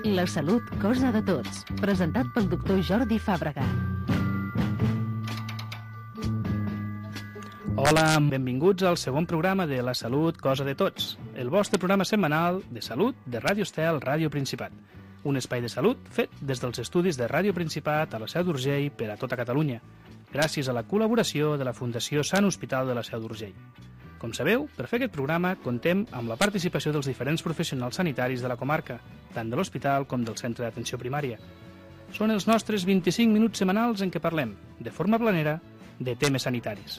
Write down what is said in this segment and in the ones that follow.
La salut, cosa de tots. Presentat pel doctor Jordi Fàbrega. Hola, benvinguts al segon programa de La salut, cosa de tots. El vostre programa setmanal de salut de Ràdio Estel, Ràdio Principat. Un espai de salut fet des dels estudis de Ràdio Principat a la Seu d'Urgell per a tota Catalunya, gràcies a la col·laboració de la Fundació Sant Hospital de la Seu d'Urgell. Com sabeu, per fer aquest programa contem amb la participació dels diferents professionals sanitaris de la comarca, tant de l'hospital com del centre d'atenció primària. Són els nostres 25 minuts setmanals en què parlem, de forma planera, de temes sanitaris,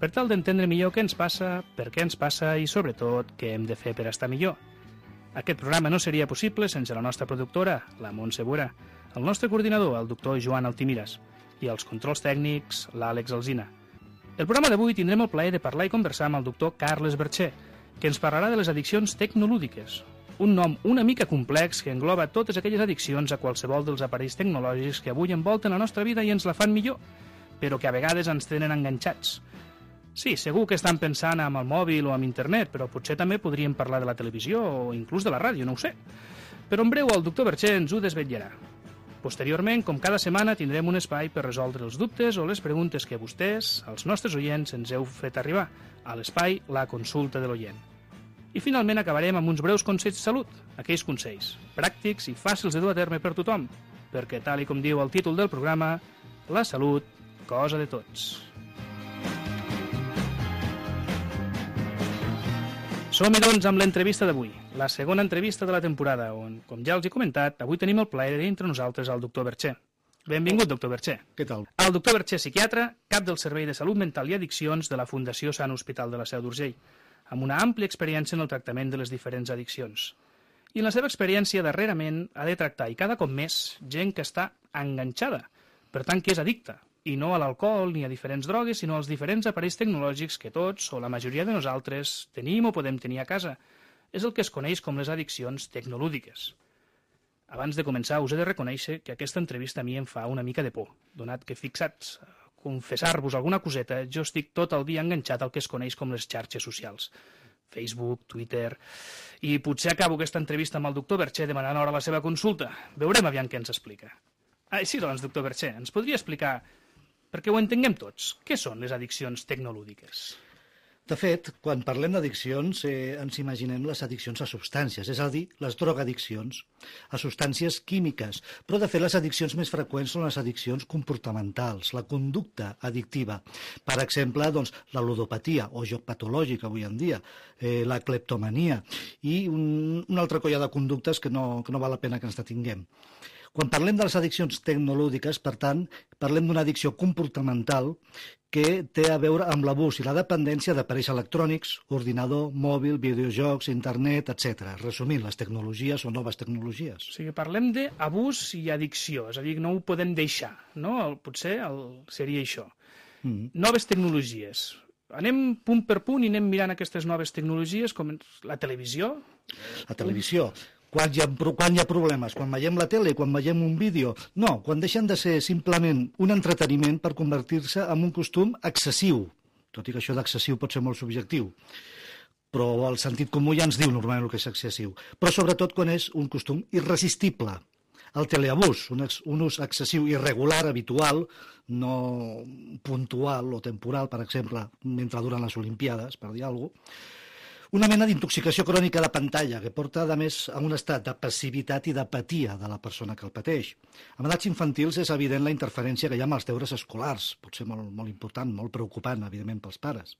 per tal d'entendre millor què ens passa, per què ens passa i, sobretot, què hem de fer per estar millor. Aquest programa no seria possible sense la nostra productora, la Montse Bura, el nostre coordinador, el doctor Joan Altimiras, i els controls tècnics, l'Àlex Alsina. El programa d'avui tindrem el plaer de parlar i conversar amb el doctor Carles Bercher, que ens parlarà de les addiccions tecnolúdiques, un nom una mica complex que engloba totes aquelles addiccions a qualsevol dels aparells tecnològics que avui envolten la nostra vida i ens la fan millor, però que a vegades ens tenen enganxats. Sí, segur que estan pensant en el mòbil o en internet, però potser també podríem parlar de la televisió o inclús de la ràdio, no ho sé. Però en breu el doctor Bercher ens ho desvetllarà. Posteriorment, com cada setmana, tindrem un espai per resoldre els dubtes o les preguntes que vostès, els nostres oients, ens heu fet arribar a l'espai La consulta de l'oient. I finalment acabarem amb uns breus consells de salut, aquells consells pràctics i fàcils de dur a terme per tothom, perquè, tal i com diu el títol del programa, la salut, cosa de tots. Som-hi, doncs, amb l'entrevista d'avui, la segona entrevista de la temporada, on, com ja els he comentat, avui tenim el plaer d'entre nosaltres al doctor Bercher. Benvingut, doctor Bercher. Què tal? El doctor Bercher, psiquiatre, cap del Servei de Salut Mental i Addiccions de la Fundació Sant Hospital de la Seu d'Urgell, amb una àmplia experiència en el tractament de les diferents addiccions. I en la seva experiència, darrerament, ha de tractar, i cada cop més, gent que està enganxada, per tant, que és addicta, i no a l'alcohol ni a diferents drogues, sinó als diferents aparells tecnològics que tots, o la majoria de nosaltres, tenim o podem tenir a casa. És el que es coneix com les addiccions tecnolúdiques. Abans de començar, us he de reconèixer que aquesta entrevista a mi em fa una mica de por, donat que, fixats, confessar-vos alguna coseta, jo estic tot el dia enganxat al que es coneix com les xarxes socials. Facebook, Twitter... I potser acabo aquesta entrevista amb el doctor Bercher demanant ara la seva consulta. Veurem aviam què ens explica. Així doncs, doctor Bercher, ens podria explicar, perquè ho entenguem tots, què són les addiccions tecnolúdiques? De fet, quan parlem d'addiccions, ens imaginem les addiccions a substàncies, és a dir, les drogadiccions, a substàncies químiques. Però, de fet, les addiccions més freqüents són les addiccions comportamentals, la conducta addictiva. Per exemple, doncs, la ludopatia, o joc patològic avui en dia, la cleptomania, i una altra colla de conductes que no val la pena que ens detinguem. Quan parlem de les addiccions tecnolúdiques, per tant, parlem d'una addicció comportamental que té a veure amb l'abús i la dependència d'aparells electrònics, ordinador, mòbil, videojocs, internet, etc. Resumint, les tecnologies o noves tecnologies. O sigui, parlem d'abús i addicció, és a dir, no ho podem deixar, no? Potser seria això. Noves tecnologies. Anem punt per punt i anem mirant aquestes noves tecnologies, com la televisió. La televisió. Quan hi ha problemes? Quan veiem la tele, quan veiem un vídeo? No, quan deixen de ser simplement un entreteniment per convertir-se en un costum excessiu. Tot i que això d'excessiu pot ser molt subjectiu. Però el sentit comú ja ens diu normalment el que és excessiu. Però sobretot quan és un costum irresistible. El teleabús, un ús excessiu, irregular, habitual, no puntual o temporal, per exemple, mentre duren les Olimpiades, per dir alguna cosa. Una mena d'intoxicació crònica de pantalla que porta, a més, a un estat de passivitat i d'apatia de la persona que el pateix. En edats infantils és evident la interferència que hi ha amb els deures escolars, potser molt important, molt preocupant, evidentment, pels pares.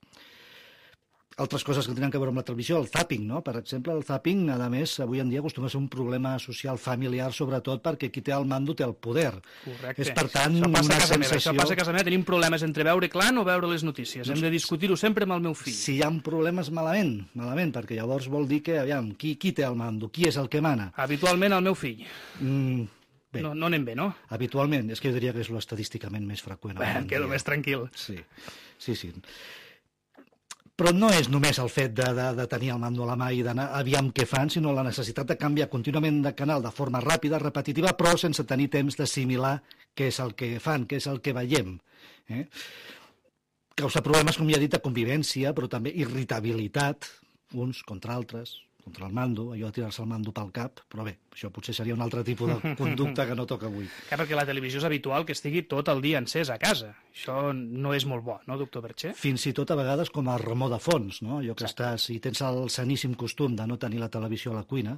Altres coses que tenen a veure amb la televisió, el zapping, no? Per exemple, el zapping, a més, avui en dia acostuma a ser un problema social familiar, sobretot perquè qui té el mando té el poder. Correcte. És, per tant, una sensació... Això passa a casa meva, tenim problemes entre veure Clan o veure les notícies. Hem de discutir-ho sempre amb el meu fill. Si hi ha problemes, malament, perquè llavors vol dir que, aviam, qui té el mando? Qui és el que mana? Habitualment el meu fill. Bé. No anem bé, no? Habitualment, és que jo diria que és l'estadísticament més freqüent. Bé, quedo més tranquil. Sí. Però no és només el fet de tenir el mando a la mà i d'anar aviam què fan, sinó la necessitat de canviar contínuament de canal de forma ràpida, repetitiva, però sense tenir temps d'assimilar què és el que fan, què és el que veiem. Causa problemes, com ja he dit, de convivència, però també irritabilitat, uns contra altres, contra el mando, allò de tirar-se el mando pel cap, però bé, això potser seria un altre tipus de conducta que no toca avui. Clar, perquè la televisió és habitual que estigui tot el dia encès a casa. Això no és molt bo, no, doctor Bercher? Fins i tot a vegades com a remor de fons, no? Allò que estàs, si tens el saníssim costum de no tenir la televisió a la cuina,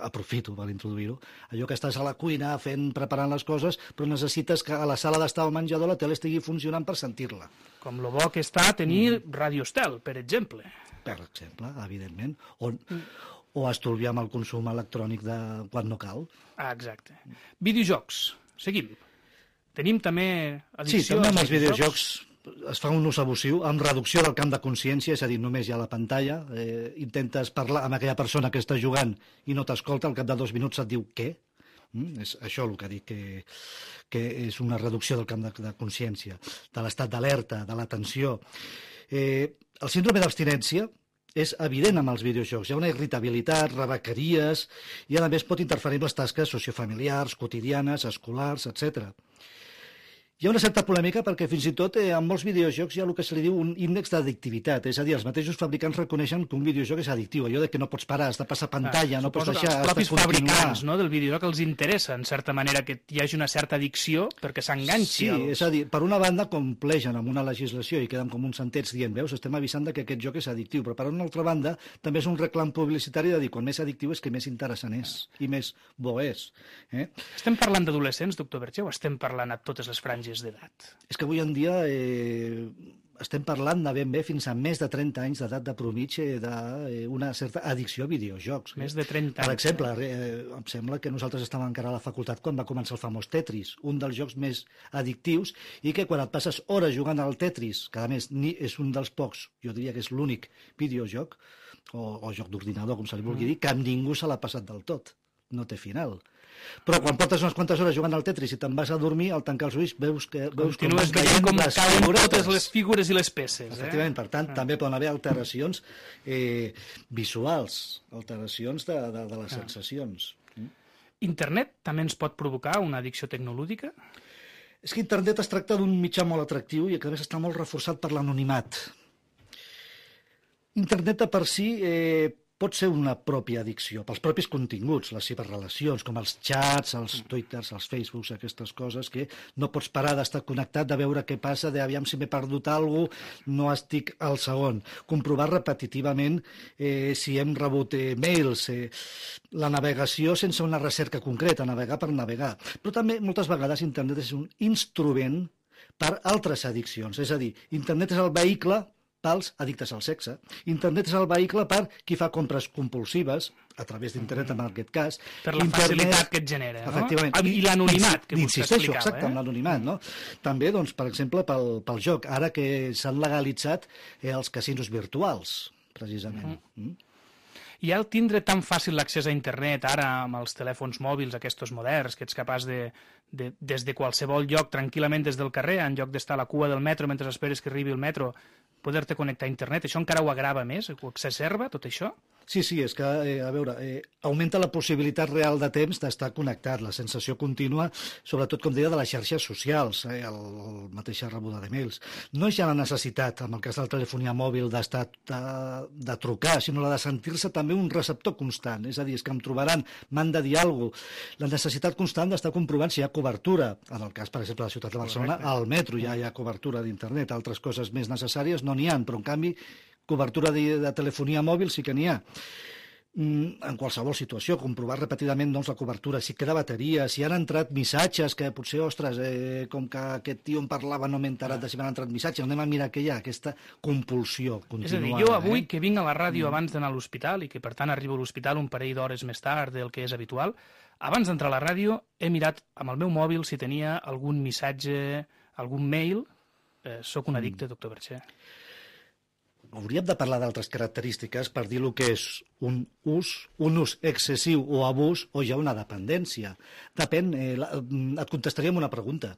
aprofito per introduir-ho, allò que estàs a la cuina preparant les coses, però necessites que a la sala d'estar al menjador la tele estigui funcionant per sentir-la. Com lo bo que està tenir Radio Estel, per exemple. Per exemple, evidentment, o estolviar amb el consum electrònic quan no cal. Ah, exacte. Videojocs, seguim. Tenim també addicció... Sí, també amb els videojocs es fa un ús abusiu amb reducció del camp de consciència, és a dir, només hi ha la pantalla, intentes parlar amb aquella persona que està jugant i no t'escolta, al cap de 2 minuts et diu què? És això el que dic, que és una reducció del camp de consciència, de l'estat d'alerta, de l'atenció. El síndrome d'abstinència és evident amb els videojocs. Hi ha una irritabilitat, rebequeries, i a més pot interferir amb les tasques sociofamiliars, quotidianes, escolars, etc. Hi ha una certa polèmica perquè fins i tot en molts videojocs hi ha el que se li diu un índex d'addictivitat, és a dir, els mateixos fabricants reconeixen que un videojoc és addictiu, allò de que no pots parar, has de passar pantalla, no pots deixar, els propis has de continuar. fabricants, no, del videojoc els interessa, en certa manera, que hi hagi una certa addicció perquè s'enganxi. Sí, és a dir, per una banda compleixen amb una legislació i queden com uns sentents dient, veus, estem avisant de que aquest joc és addictiu, però per una altra banda també és un reclam publicitari de dir, quan més addictiu és que més interessant és i més bo és. Estem parlant d'adolescents, doctor Bercher, o estem parlant a totes les franges d'edat? És que avui en dia estem parlant de ben bé fins a més de 30 anys d'edat de promitja d'una certa addicció a videojocs. Més de 30 anys. Per exemple, em sembla que nosaltres estàvem encara a la facultat quan va començar el famós Tetris, un dels jocs més addictius, i que quan et passes hores jugant al Tetris, que a més és un dels pocs, jo diria que és l'únic videojoc, o joc d'ordinador, com se li vulgui dir, que amb ningú se l'ha passat del tot. No té final. Però quan portes unes quantes hores jugant al Tetris i te'n vas a dormir, al tancar els ulls veus continues veient com cauen totes les figures i les peces. Efectivament, per tant, també poden haver alteracions visuals, alteracions de les sensacions. Internet també ens pot provocar una addicció tecnolúdica? És que internet es tracta d'un mitjà molt atractiu i que a més està molt reforçat per l'anonimat. Internet de per si pot ser una pròpia addicció, pels propis continguts, les seves relacions, com els xats, els twitters, els facebooks, aquestes coses que no pots parar d'estar connectat, de veure què passa, d'aviam si m'he perdut alguna cosa, no estic al segon. Comprovar repetitivament si hem rebut mails, la navegació sense una recerca concreta, navegar per navegar. Però també moltes vegades internet és un instrument per altres addiccions, és a dir, internet és el vehicle pels addictes al sexe. Internet és el vehicle per qui fa compres compulsives, a través d'internet en aquest cas. Per la facilitat que et genera, no? Efectivament. I l'anonimat que vostè explicava. Exacte, amb l'anonimat, no? També, doncs, per exemple, pel joc, ara que s'han legalitzat els casinos virtuals, precisament. I al tindre tan fàcil l'accés a internet, ara amb els telèfons mòbils, aquests moderns, que ets capaç des de qualsevol lloc, tranquil·lament des del carrer, en lloc d'estar a la cua del metro mentre esperes que arribi el metro, poder-te connectar a internet, això encara ho agrava més? Ho exacerba, tot això? Sí, és que, a veure, augmenta la possibilitat real de temps d'estar connectat, la sensació contínua, sobretot, com deia, de les xarxes socials, la mateixa rebuda de mails. No és ja la necessitat, en el cas de la telefonia mòbil, de trucar, sinó la de sentir-se també un receptor constant, és a dir, és que em trobaran, m'han de dir alguna cosa. La necessitat constant d'estar comprovant si hi ha cobertura, en el cas, per exemple, de la ciutat de Barcelona, al metro ja hi ha cobertura d'internet, altres coses més necessàries no n'hi ha, però en canvi cobertura de telefonia mòbil sí que n'hi ha. En qualsevol situació, comprovar repetidament doncs, la cobertura, si queda bateria, si han entrat missatges, que potser, ostres, com que aquest tio em parlava no m'he enterat de si m'han entrat missatges, anem a mirar què hi ha, aquesta compulsió continuada. És a dir, jo avui que vinc a la ràdio abans d'anar a l'hospital i que per tant arribo a l'hospital un parell d'hores més tard del que és habitual, abans d'entrar a la ràdio he mirat amb el meu mòbil si tenia algun missatge, algun mail. Soc un addicte, doctor Bercher. Hauríem de parlar d'altres característiques per dir el que és un ús excessiu o abús o ja una dependència. Depèn, et contestaria amb una pregunta.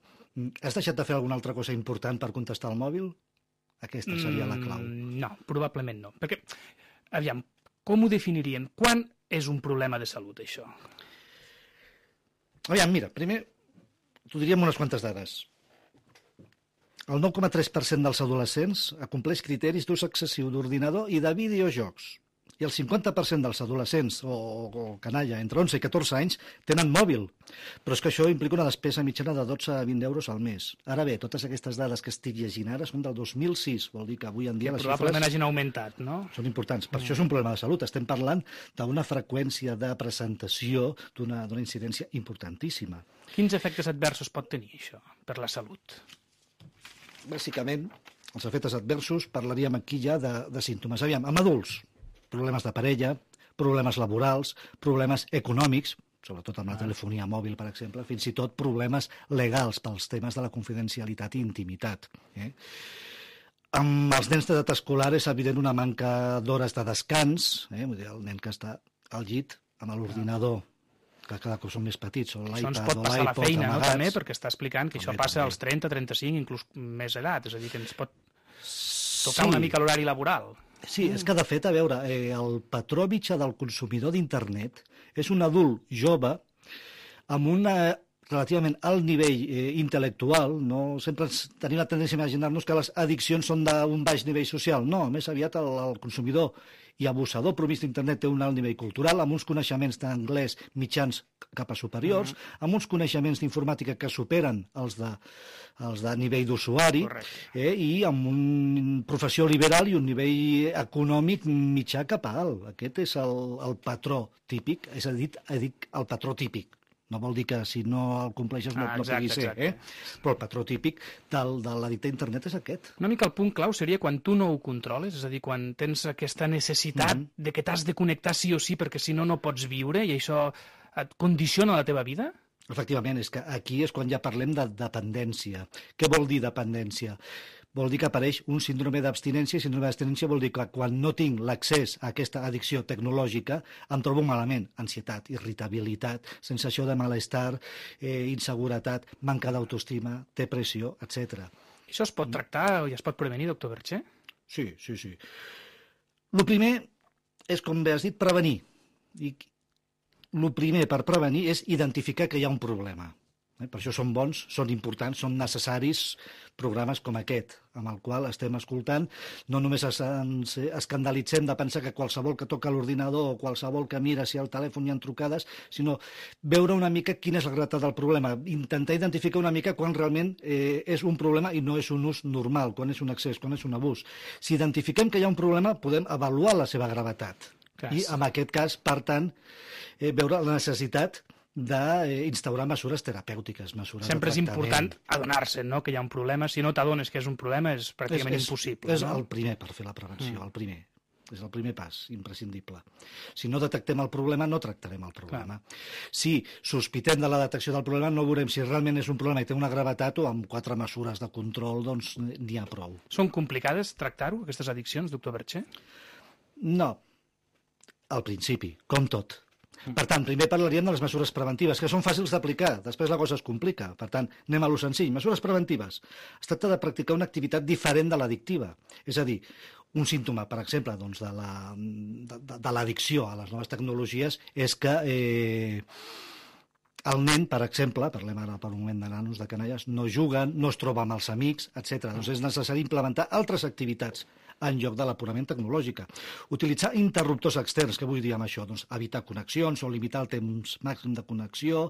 Has deixat de fer alguna altra cosa important per contestar al mòbil? Aquesta seria la clau. No, probablement no. Perquè, aviam, com ho definiríem? Quan és un problema de salut, això? Aviam, mira, primer t'ho diríem unes quantes dades. El 9,3% dels adolescents acompleix criteris d'ús excessiu d'ordinador i de videojocs. i el 50% dels adolescents o canalla entre 11 i 14 anys tenen mòbil. Però és que això implica una despesa mitjana de 12 a 20 euros al mes. Ara bé, totes aquestes dades que estic llegint ara són del 2006, vol dir que avui en dia les Probablement xifres hagin augmentat, no? són importants. Per això és un problema de salut. Estem parlant d'una freqüència de presentació d'una incidència importantíssima. Quins efectes adversos pot tenir això per la salut? Bàsicament, els efectes adversos, parlaríem aquí ja de símptomes. Aviam, amb adults, problemes de parella, problemes laborals, problemes econòmics, sobretot amb la telefonia mòbil, per exemple, fins i tot problemes legals pels temes de la confidencialitat i intimitat. Amb els nens d'edat escolar és evident una manca d'hores de descans, vull dir, el nen que està al llit amb l'ordinador, que cada cop són més petits, o Això ens l'iPad pot o passar a la l'iPod feina, no, amagats. també, perquè està explicant que això També, passa també. als 30, 35, inclús més edat, és a dir, que ens pot tocar una mica l'horari laboral. Sí, és que de fet, a veure, el patró mitjà del consumidor d'internet és un adult jove amb un relativament alt nivell intel·lectual. No? Sempre tenim la tendència a imaginar-nos que les addiccions són d'un baix nivell social. No, més aviat el consumidor i abusador promís d'internet té un alt nivell cultural, amb uns coneixements d'anglès mitjans cap a superiors, amb uns coneixements d'informàtica que superen els de nivell d'usuari, i amb una professió liberal i un nivell econòmic mitjà cap a alt. Aquest és el patró típic, és a dir, el patró típic. No vol dir que si no el compleixes no pugui ser, però el patró típic de l'addicte a internet és aquest. Una mica el punt clau seria quan tu no ho controles, és a dir, quan tens aquesta necessitat de que t'has de connectar sí o sí perquè si no, no pots viure i això et condiciona la teva vida? Efectivament, és que aquí és quan ja parlem de dependència. Què vol dir dependència? Vol dir que apareix un síndrome d'abstinència, i síndrome d'abstinència vol dir que quan no tinc l'accés a aquesta addicció tecnològica em trobo malament, ansietat, irritabilitat, sensació de malestar, inseguretat, manca d'autoestima, depressió, etc. Això es pot tractar i es pot prevenir, doctor Bertxer? Sí. El primer és, com bé has dit, prevenir. I el primer per prevenir és identificar que hi ha un problema. Per això són bons, són importants, són necessaris programes com aquest, amb el qual estem escoltant. No només ens escandalitzem de pensar que qualsevol que toca l'ordinador o qualsevol que mira si al telèfon hi ha trucades, sinó veure una mica quina és la gravetat del problema, intentar identificar una mica quan realment és un problema i no és un ús normal, quan és un excés, quan és un abús. Si identifiquem que hi ha un problema, podem avaluar la seva gravetat. I en aquest cas, per tant, veure la necessitat d'instaurar mesures terapèutiques, mesures de sempre és tractament. important adonar-se, no?, que hi ha un problema. Si no t'adones que és un problema és pràcticament impossible. És el primer per fer la prevenció, el primer. És el primer pas, imprescindible. Si no detectem el problema, no tractarem el problema. Si sospitem de la detecció del problema, no veurem si realment és un problema i té una gravetat o amb 4 mesures de control doncs n'hi ha prou. Són complicades tractar-ho, aquestes addiccions, doctor Bertxer? No, al principi, com tot. Per tant, primer parlaríem de les mesures preventives, que són fàcils d'aplicar, després la cosa es complica. Per tant, anem a lo senzill. Mesures preventives. Es tracta de practicar una activitat diferent de l'addictiva. És a dir, un símptoma, per exemple, doncs, de l'addicció a les noves tecnologies és que el nen, per exemple, parlem ara per un moment de nanos, de canalles, no juguen, no es troba amb els amics, etc. Doncs és necessari implementar altres activitats en lloc de la purament tecnològica. Utilitzar interruptors externs, què vull dir amb això? Doncs evitar connexions o limitar el temps màxim de connexió,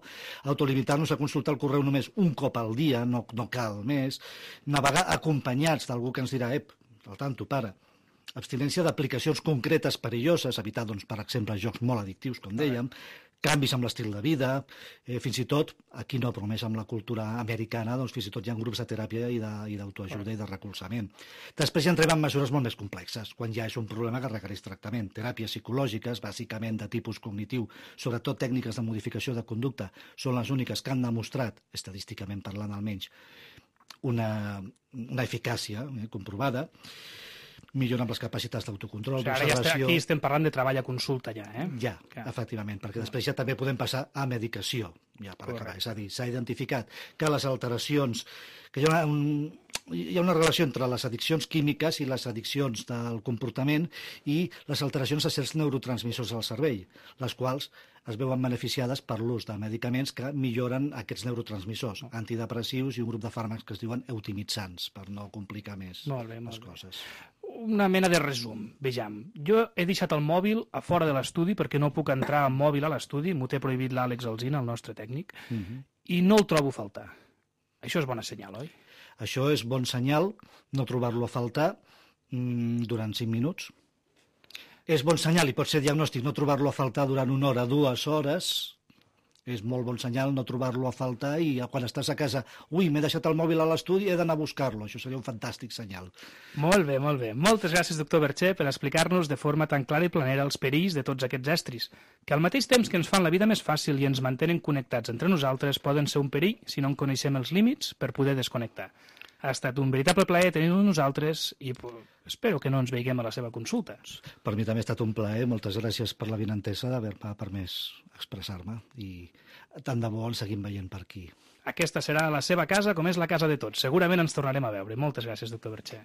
autolimitar-nos a consultar el correu només un cop al dia, no cal més, navegar acompanyats d'algú que ens dirà, al tanto, pare. Abstinència d'aplicacions concretes perilloses, evitar, doncs, per exemple, jocs molt addictius, com dèiem, canvis amb l'estil de vida, fins i tot, aquí no, però més amb la cultura americana, doncs fins i tot hi ha grups de teràpia i d'autoajuda i de recolzament. Després ja entrem en mesures molt més complexes, quan ja és un problema que requereix tractament. Teràpies psicològiques, bàsicament de tipus cognitiu, sobretot tècniques de modificació de conducta, són les úniques que han demostrat, estadísticament parlant almenys, una eficàcia comprovada, millora amb les capacitats d'autocontrol, d'observació... Aquí estem parlant de treball a consulta ja, Ja, efectivament, perquè després ja també podem passar a medicació, ja per acabar. És a dir, s'ha identificat que les alteracions, que hi ha una relació entre les addiccions químiques i les addiccions del comportament i les alteracions a certs neurotransmissors al cervell, les quals es veuen beneficiades per l'ús de medicaments que milloren aquests neurotransmissors, antidepressius i un grup de fàrmacs que es diuen eutimitzants, per no complicar més les coses. una mena de resum. Vejam, jo he deixat el mòbil a fora de l'estudi perquè no puc entrar amb mòbil a l'estudi, m'ho té prohibit l'Àlex Alsina, el nostre tècnic, i no el trobo a faltar. Això és bona senyal, oi? Això és bon senyal, no trobar-lo a faltar durant 5 minuts. És bon senyal i pot ser diagnòstic no trobar-lo a faltar durant 1 hora, 2 hores. És molt bon senyal no trobar-lo a faltar i quan estàs a casa, ui, m'he deixat el mòbil a l'estudi, he d'anar a buscar-lo. Això seria un fantàstic senyal. Molt bé, molt bé. Moltes gràcies, doctor Bertxer, per explicar-nos de forma tan clara i planera els perills de tots aquests estris, que al mateix temps que ens fan la vida més fàcil i ens mantenen connectats entre nosaltres, poden ser un perill si no en coneixem els límits per poder desconnectar. Ha estat un veritable plaer tenir-ho nosaltres i espero que no ens veiguem a la seva consulta. Per mi també ha estat un plaer. Moltes gràcies per la vinentesa d'haver-me permès expressar-me i tant de bo ens seguim veient per aquí. Aquesta serà la seva casa com és la casa de tots. Segurament ens tornarem a veure. Moltes gràcies, doctor Bertxer.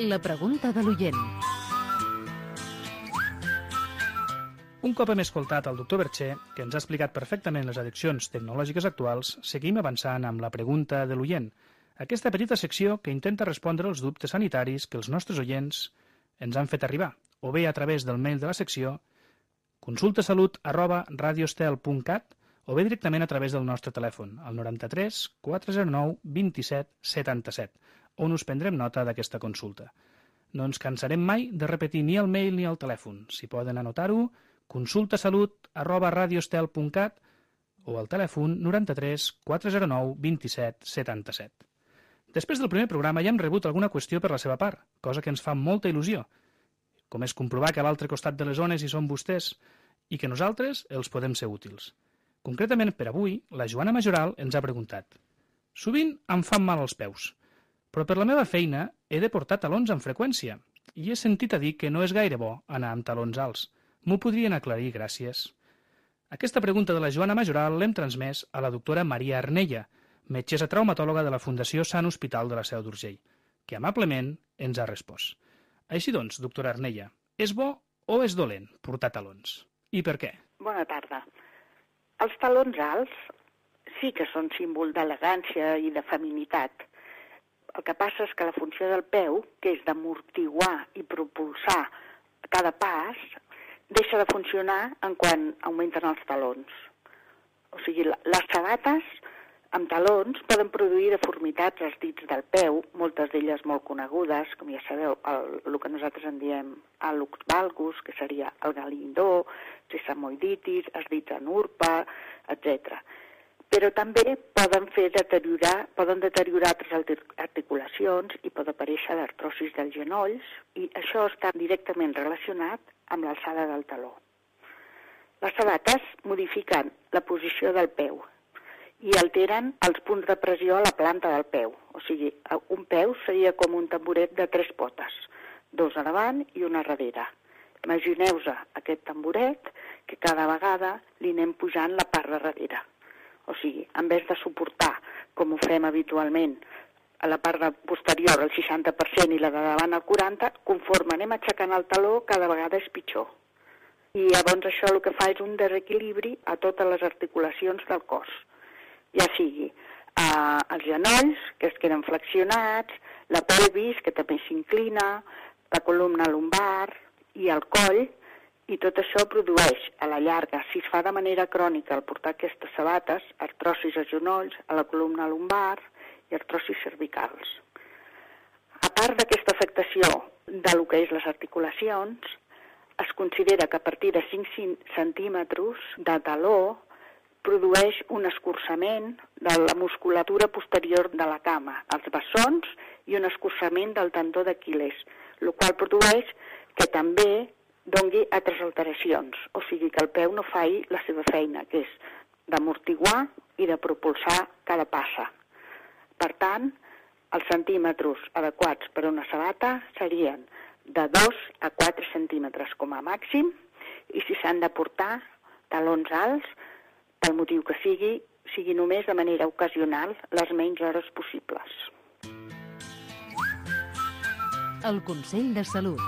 La pregunta de l'oient. Un cop hem escoltat el doctor Bertxer, que ens ha explicat perfectament les addiccions tecnològiques actuals, seguim avançant amb la pregunta de l'oient. Aquesta petita secció que intenta respondre als dubtes sanitaris que els nostres oients ens han fet arribar, o bé a través del mail de la secció consultasalut@radiostel.cat o bé directament a través del nostre telèfon, al 93 409 27 77, on us prendrem nota d'aquesta consulta. No ens cansarem mai de repetir ni el mail ni el telèfon. Si poden anotar-ho, consultasalut@radiostel.cat o al telèfon 93 409 27 77. Després del primer programa ja hem rebut alguna qüestió per la seva part, cosa que ens fa molta il·lusió, com és comprovar que a l'altre costat de les zones hi són vostès i que nosaltres els podem ser útils. Concretament per avui, la Joana Majoral ens ha preguntat: sovint em fan mal els peus, però per la meva feina he de portar talons amb freqüència i he sentit a dir que no és gaire bo anar amb talons alts. M'ho podrien aclarir, gràcies. Aquesta pregunta de la Joana Majoral l'hem transmès a la doctora Maria Arnella, metgessa traumatòloga de la Fundació Sant Hospital de la Seu d'Urgell, que amablement ens ha respost. Així doncs, doctora Arnella, és bo o és dolent portar talons? I per què? Bona tarda. Els talons alts sí que són símbol d'elegància i de feminitat. El que passa és que la funció del peu, que és d'amortiguar i propulsar cada pas, deixa de funcionar en quan augmenten els talons. O sigui, les sabates amb talons poden produir deformitats als dits del peu, moltes d'elles molt conegudes, com ja sabeu, el que nosaltres en diem hallux valgus, que seria el galindó, sesamoiditis, els dits en urpa, etc. Però també poden deteriorar altres articulacions i pot aparèixer l'artrosis dels genolls, i això està directament relacionat amb l'alçada del taló. Les sabates modifiquen la posició del peu i alteren els punts de pressió a la planta del peu. O sigui, un peu seria com un tamboret de 3 potes, 2 a davant i una a darrere. Imagineu-vos aquest tamboret que cada vegada li anem pujant la part de darrere. O sigui, en vez de suportar, com ho fem habitualment, a la part posterior el 60% i la de davant el 40%, conforme anem aixecant el taló, cada vegada és pitjor. I llavors això el que fa és un desequilibri a totes les articulacions del cos. Ja sigui els genolls, que es queden flexionats, la pelvis, que també s'inclina, la columna lumbar i el coll, i tot això produeix, a la llarga, si es fa de manera crònica al portar aquestes sabates, artrosis als genolls, a la columna lumbar i artrosis cervicals. A part d'aquesta afectació de lo que és les articulacions, es considera que a partir de 5 centímetres de taló produeix un escurçament de la musculatura posterior de la cama, els bessons i un escurçament del tendó d'Aquil·les, el qual produeix que també doni altres alteracions, o sigui que el peu no faci la seva feina, que és d'amortiguar i de propulsar cada passa. Per tant, els centímetres adequats per a una sabata serien de 2 a 4 centímetres com a màxim, i si s'han de portar talons alts, pel motiu que sigui només de manera ocasional les menys hores possibles. El Consell de Salut.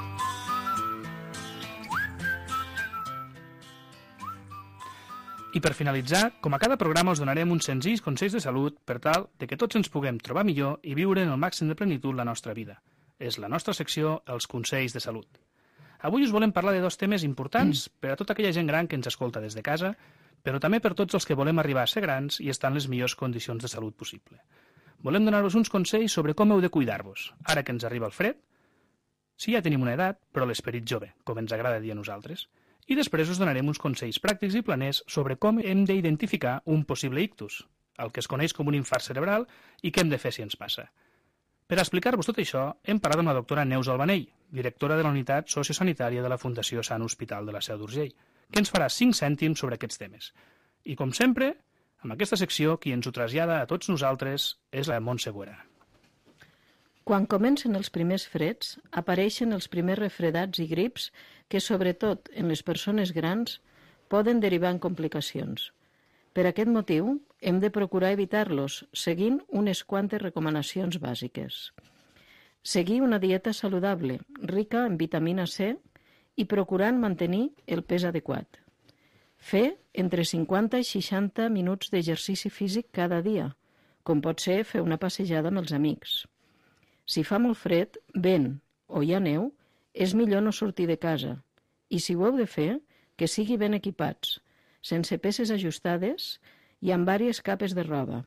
I per finalitzar, com a cada programa us donarem uns senzills consells de salut per tal de que tots ens puguem trobar millor i viure en el màxim de plenitud la nostra vida. És la nostra secció, els consells de salut. Avui us volem parlar de dos temes importants per a tota aquella gent gran que ens escolta des de casa, però també per tots els que volem arribar a ser grans i estar en les millors condicions de salut possible. Volem donar-vos uns consells sobre com heu de cuidar-vos, ara que ens arriba el fred, si ja tenim una edat, però l'esperit jove, com ens agrada dir a nosaltres. I després us donarem uns consells pràctics i planers sobre com hem d'identificar un possible ictus, el que es coneix com un infart cerebral, i què hem de fer si ens passa. Per explicar-vos tot això, hem parlat amb la doctora Neus Albanell, directora de la Unitat Sociosanitària de la Fundació Sant Hospital de la Seu d'Urgell, que ens farà 5 cèntims sobre aquests temes. I com sempre, amb aquesta secció, qui ens ho trasllada a tots nosaltres és la Montse Boera. Quan comencen els primers freds, apareixen els primers refredats i grips que, sobretot en les persones grans, poden derivar en complicacions. Per aquest motiu, hem de procurar evitar-los, seguint unes quantes recomanacions bàsiques. Seguir una dieta saludable, rica en vitamina C i procurant mantenir el pes adequat. Fer entre 50 i 60 minuts d'exercici físic cada dia, com pot ser fer una passejada amb els amics. Si fa molt fred, vent o hi ha neu, és millor no sortir de casa. I si ho heu de fer, que sigui ben equipats, sense peces ajustades i amb diverses capes de roba.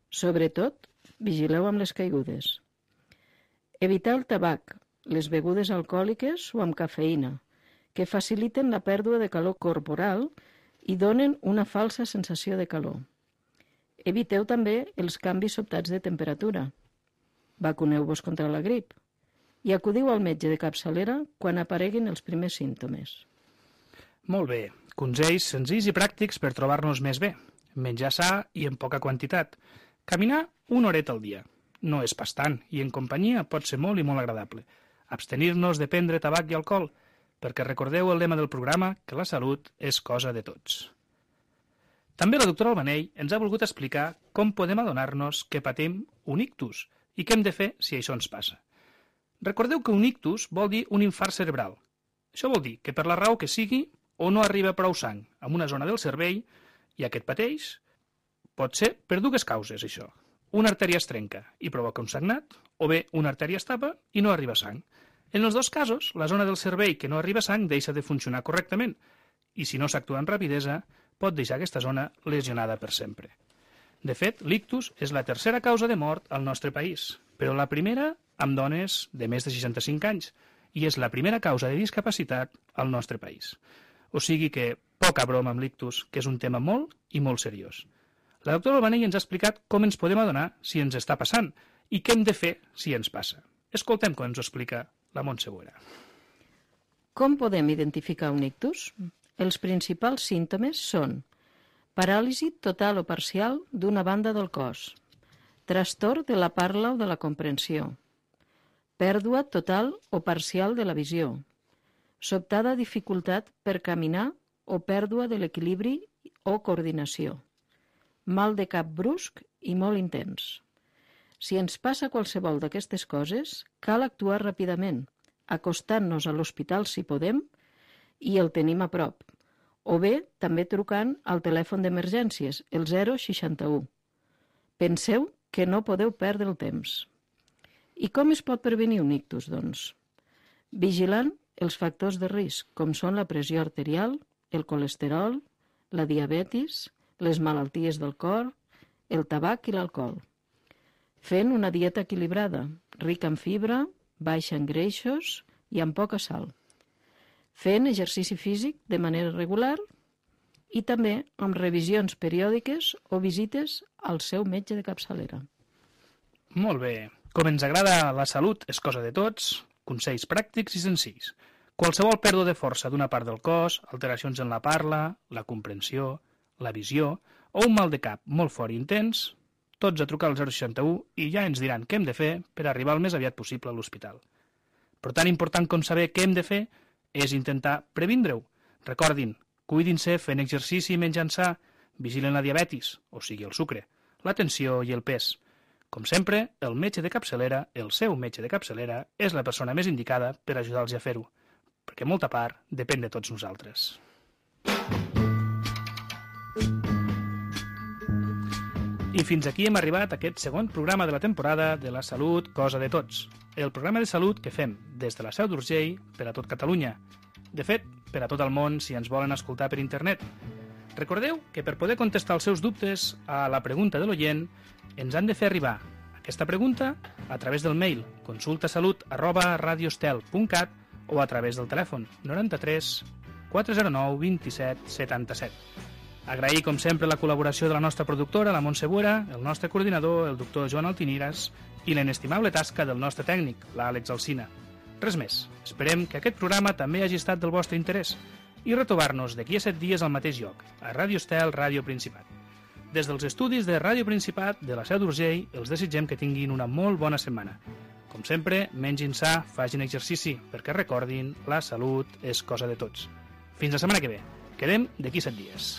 Sobretot, vigileu amb les caigudes. Evitar el tabac, les begudes alcohòliques o amb cafeïna, que faciliten la pèrdua de calor corporal i donen una falsa sensació de calor. Eviteu també els canvis sobtats de temperatura. Vacuneu-vos contra la grip i acudiu al metge de capçalera quan apareguin els primers símptomes. Molt bé, consells senzills i pràctics per trobar-nos més bé. Menjar sa i en poca quantitat. Caminar una horeta al dia. No és pas tant i en companyia pot ser molt i molt agradable. Abstenir-nos de prendre tabac i alcohol, perquè recordeu el lema del programa que la salut és cosa de tots. També la doctora Albanell ens ha volgut explicar com podem adonar-nos que patim un ictus i què hem de fer si això ens passa. Recordeu que un ictus vol dir un infart cerebral. Això vol dir que per la raó que sigui o no arriba prou sang a una zona del cervell i aquest pateix, pot ser per dues causes això. Una artèria es trenca i provoca un sagnat, o bé una artèria es tapa i no arriba sang. En els dos casos, la zona del cervell que no arriba sang deixa de funcionar correctament i si no s'actua amb rapidesa, pot deixar aquesta zona lesionada per sempre. De fet, l'ictus és la tercera causa de mort al nostre país, però la primera amb dones de més de 65 anys i és la primera causa de discapacitat al nostre país. O sigui que poca broma amb l'ictus, que és un tema molt i molt seriós. La doctora Albanell ens ha explicat com ens podem adonar si ens està passant i què hem de fer si ens passa. Escoltem com ens ho explica la Montse Boera. Com podem identificar un ictus? Els principals símptomes són paràlisi total o parcial d'una banda del cos, trastorn de la parla o de la comprensió, pèrdua total o parcial de la visió, sobtada dificultat per caminar o pèrdua de l'equilibri o coordinació, mal de cap brusc i molt intens. Si ens passa qualsevol d'aquestes coses, cal actuar ràpidament, acostant-nos a l'hospital si podem i el tenim a prop, o bé també trucant al telèfon d'emergències, el 061. Penseu que no podeu perdre el temps. I com es pot prevenir un ictus, doncs? Vigilant els factors de risc, com són la pressió arterial, el colesterol, la diabetis, les malalties del cor, el tabac i l'alcohol. Fent una dieta equilibrada, rica en fibra, baixa en greixos i amb poca sal. Fent exercici físic de manera regular i també amb revisions periòdiques o visites al seu metge de capçalera. Molt bé. Com ens agrada la salut és cosa de tots, consells pràctics i senzills. Qualsevol pèrdua de força d'una part del cos, alteracions en la parla, la comprensió, la visió o un mal de cap molt fort i intens, tots a trucar al 061 i ja ens diran què hem de fer per arribar el més aviat possible a l'hospital. Però tan important com saber què hem de fer és intentar previndre-ho. Recordin, cuidin-se fent exercici i menjant sa, vigilen la diabetis, o sigui el sucre, la tensió i el pes. Com sempre, el metge de capçalera, el seu metge de capçalera, és la persona més indicada per ajudar-los a fer-ho, perquè molta part depèn de tots nosaltres. I fins aquí hem arribat a aquest segon programa de la temporada de la salut, cosa de tots. El programa de salut que fem des de la Seu d'Urgell per a tot Catalunya. De fet, per a tot el món si ens volen escoltar per internet. Recordeu que per poder contestar els seus dubtes a la pregunta de l'oient ens han de fer arribar aquesta pregunta a través del mail consultasalut@radiostel.cat o a través del telèfon 93 409 27 77. Agrair, com sempre, la col·laboració de la nostra productora, la Montse Buera, el nostre coordinador, el doctor Joan Altiniras, i l'inestimable tasca del nostre tècnic, l'Àlex Alsina. Res més. Esperem que aquest programa també hagi estat del vostre interès i retrobar-nos d'aquí a 7 dies al mateix lloc, a Ràdio Estel, Ràdio Principat. Des dels estudis de Ràdio Principat de la Seu d'Urgell, els desitgem que tinguin una molt bona setmana. Com sempre, mengin sa, facin exercici, perquè recordin, la salut és cosa de tots. Fins la setmana que ve. Quedem d'aquí 7 dies.